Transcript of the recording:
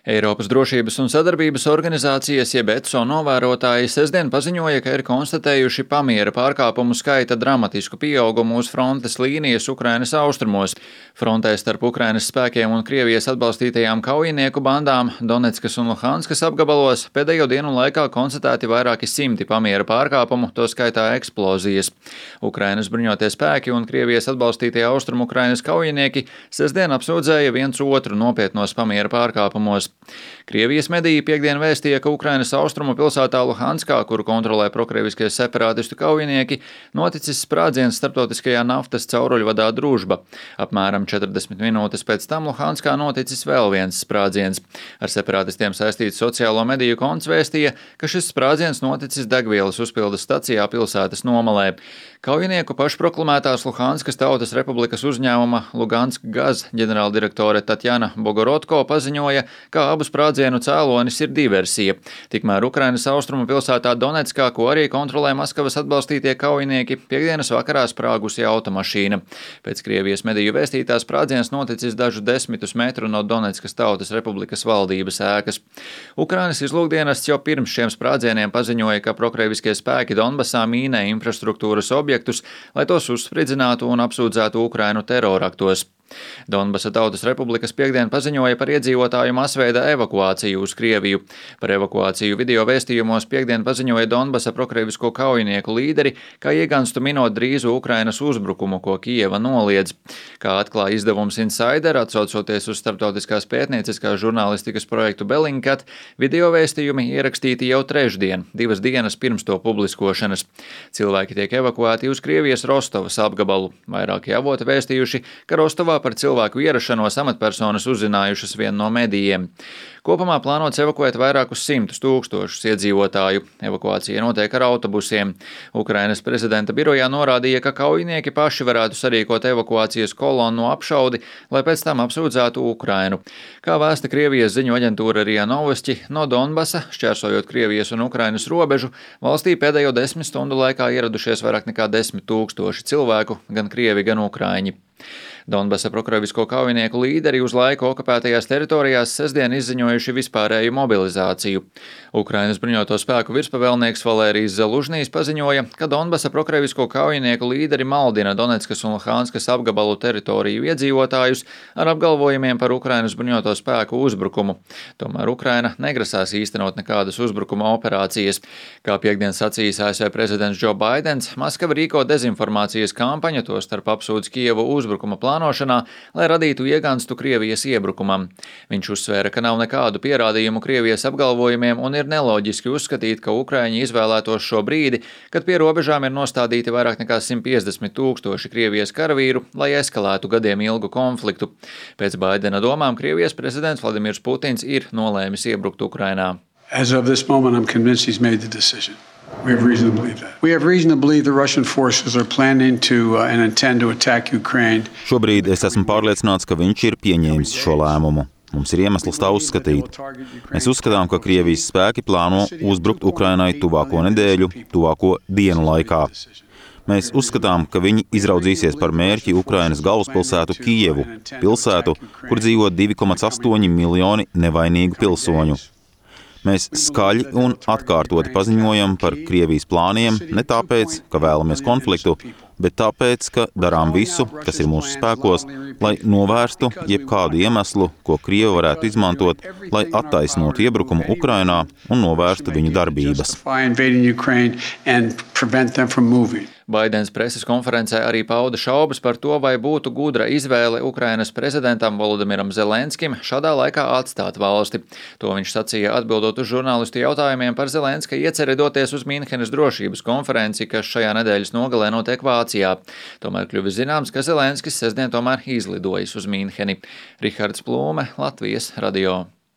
Eiropas drošības un sadarbības organizācijas jeb ECO novērotāji sestdien paziņoja, ka ir konstatējuši pamiera pārkāpumu skaita dramatisku pieaugumu uz frontes līnijas Ukrainas austrumos. Frontē starp Ukrainas spēkiem un Krievijas atbalstītajām kaujinieku bandām Doneckas un Luhanskas apgabalos pēdējo dienu laikā konstatēti vairāki simti pamiera pārkāpumu, to skaitā eksplozijas. Ukrainas bruņotie spēki un Krievijas atbalstītie austrumu Ukrainas kaujinieki sestdien apsūdzēja viens otru nopietnos pamiera pārkāpumos. Krievijas mediji piektdien vēstīja, ka Ukrainas austrumu pilsētā Luhanskā, kuru kontrolē prokrieviskie separātistu kaujinieki, noticis sprādziens starptautiskajā naftas cauruļvadā Družba. Apmēram 40 minūtes pēc tam Luhanskā noticis vēl viens sprādziens. Ar separātistiem saistīts sociālo mediju konts vēstīja, ka šis sprādziens noticis degvielas uzpildes stacijā pilsētas nomalē. Kaujinieku pašproklamētās Luhanskas Tautas Republikas uzņēmuma Lugansk Gaz ģenerāldirektore Tatjana Bogorodko paziņoja, ka abu sprādzienu cēlonis ir diversija. Tikmēr Ukrainas austrumu pilsētā Donetskā, ko arī kontrolē Maskavas atbalstītie kaujinieki, piektdienas vakarā sprāgusi automašīna. Pēc Krievijas mediju vēstītās sprādziens noticis dažu desmitus metru no Donetskas Tautas Republikas valdības ēkas. Ukrainas izlūkdienests jau pirms šiem sprādzieniem paziņoja, ka prokrieviskie spēki Donbasā mīnē infrastruktūras objektus, lai tos uzspridzinātu un apsūdzētu Ukrainu teroraktos. Donbasa Tautas Republikas piektdien paziņoja par iedzīvotāju masveida evakuāciju uz Krieviju. Par evakuāciju video vēstījumos piektdien paziņoja Donbasa prokrievisko kaujinieku līderi, kā ieganstu minot drīzu Ukrainas uzbrukumu, ko Kijeva noliedz. Kā atklāja izdevums Insider, atsaucoties uz starptautiskās pētnieciskās žurnālistikas projektu Bellingcat, video vēstījumi ierakstīti jau trešdien, 2 dienas pirms to publiskošanas. Cilvēki tiek evakuēti uz Krievijas Rostovas apgabalu. Vairāki avoti vēstījuši, ka Rostovā par cilvēku ierašanos amatpersonas uzzinājušas vien no medijiem. Kopumā plānots evakuēt vairākus 100 tūkstošus iedzīvotāju. Evakuācija notiek ar autobusiem. Ukrainas prezidenta birojā norādīja, ka kaujinieki paši varētu sarīkot evakuācijas kolonnu apšaudi, lai pēc tam apsūdzētu Ukrainu. Kā vēsta Krievijas ziņu aģentūra RIA Novosti, no Donbasa, šķērsojot Krievijas un Ukrainas robežu, valstī pēdējo 10 stundu laikā ieradušies vairāk nekā 10 000 cilvēku, gan krievi, gan ukraiņi. Donbasa prokrievisko kaujinieku līderi uz laiku okupētajās teritorijās sestdien izziņojuši vispārēju mobilizāciju. Ukrainas bruņoto spēku virspavēlnieks Valērijs Zalužnijs paziņoja, ka Donbasa prokrievisko kaujinieku līderi maldina Doneckas un Luhanskas apgabalu teritoriju iedzīvotājus ar apgalvojumiem par Ukrainas bruņoto spēku uzbrukumu. Tomēr Ukraina negrasās īstenot nekādas uzbrukuma operācijas. Kā piektdien sacījis ASV prezidents Joe Baidens, Maskava rīko dezinformācijas kampaņu, tostarp apsūdz Kijevu uzbrukuma plānošanā, lai radītu ieganstu Krievijas iebrukumam. Viņš uzsvēra, ka nav nekādu pierādījumu Krievijas apgalvojumiem un ir neloģiski uzskatīt, ka Ukraiņi izvēlētos šo brīdi, kad pie robežām ir nostādīti vairāk nekā 150 000 Krievijas karavīru, lai eskalētu gadiem ilgu konfliktu. Pēc Baidena domām Krievijas prezidents Vladimirs Putins ir nolēmis iebrukt Ukrainā. As of this moment, I'm convinced he's made the decision. We have reason to believe that. We have reason to believe the Russian forces are planning to and intend to attack Ukraine. Šobrīd es esmu pārliecināts, ka viņš ir pieņēmis šo lēmumu. Mums ir iemesls tā uzskatīt. Mēs uzskatām, ka Krievijas spēki plāno uzbrukt Ukrainai tuvāko nedēļu, tuvāko dienu laikā. Mēs uzskatām, ka viņi izraudzīsies par mērķi Ukrainas galvaspilsētu Kijevu, pilsētu, kur dzīvo 2,8 miljoni nevainīgu pilsoņu. Mēs skaļi un atkārtoti paziņojam par Krievijas plāniem ne tāpēc, ka vēlamies konfliktu, bet tāpēc, ka darām visu, kas ir mūsu spēkos, lai novērstu jebkādu iemeslu, ko Krievi varētu izmantot, lai attaisnotu iebrukumu Ukrainā un novērstu viņu darbības. Baidens preses konferencē arī pauda šaubas par to, vai būtu gudra izvēle Ukrainas prezidentam Volodimiram Zelenskim šādā laikā atstāt valsti. To viņš sacīja atbildot uz žurnālistu jautājumiem par Zelenska ieceri doties uz Mīnhenes drošības konferenci, kas šajā nedēļas nogalē notiek Vācijā. Tomēr kļuvis zināms, ka Zelenskis sestdien tomēr izlidojis uz Mīnheni. Rihards Plūme, Latvijas radio.